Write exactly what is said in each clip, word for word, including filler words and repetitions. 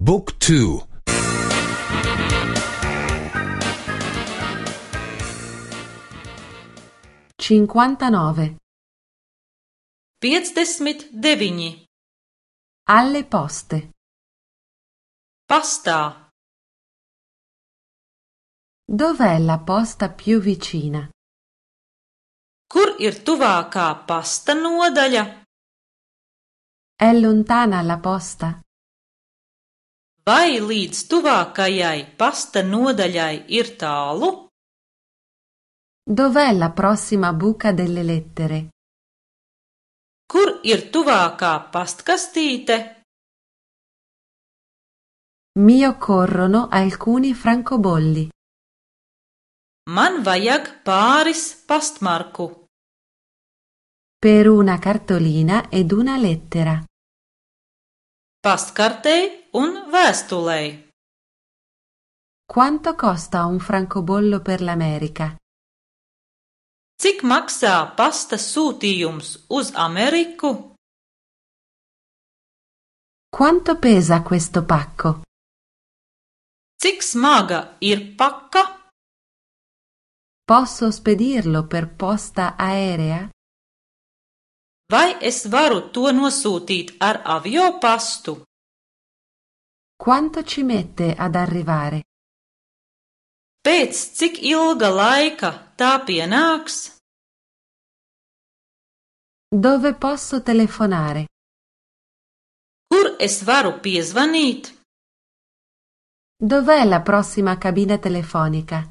บุ๊กทูcinquantanove piecdesmit deviņi. Alle poste. Pastā. Dov'è la posta più vicina? Kur ir tuvākā pasta nodaļa? È lontana la posta? Vai līdz tuvākajai pasta nodaļai ir tālu? Dov'è la prossima buca delle lettere? Kur ir tuvākā pastkastīte? Mi occorrono alcuni francobolli. Man vajag pāris pastmarku. Per una cartolina ed una lettera. Pastkartei un vēstulei. Quanto costa un francobollo per l'America? Cik maksā pasta sūtījums uz Ameriku? Quanto pesa questo pacco? Cik smaga ir paka? Posso spedirlo per posta aerea? Vai es varu to nosūtīt ar aviopastu? Quanto ci mette ad arrivare? Pēc cik ilga laika tā pienāks? Dove posso telefonare? Kur es varu piezvanīt? Dov'è la prossima cabina telefonica?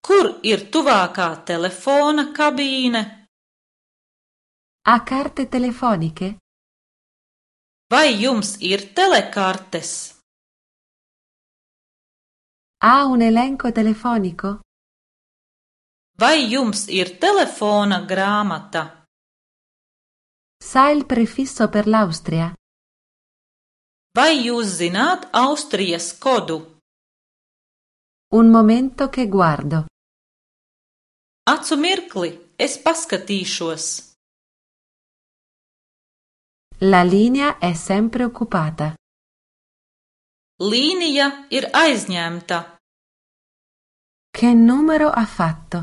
Kur ir tuvākā telefona kabīne? Ha carte telefoniche? Vai jums ir telekartes? Ha un elenco telefonico? Vai jums ir telefona grāmata? Sa il prefisso per l'Austria? Vai jūs zināt Austrijas kodu? Un momento che guardo. Acu mirkli, es paskatīšos. La linea è sempre occupata. Līnija ir aizņemta. Che numero ha fatto?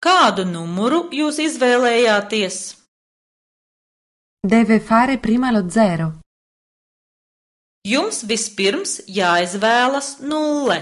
Kādu numuru jūs izvēlējāties? Deve fare prima lo zero. Jums vispirms jāizvēlas nulle.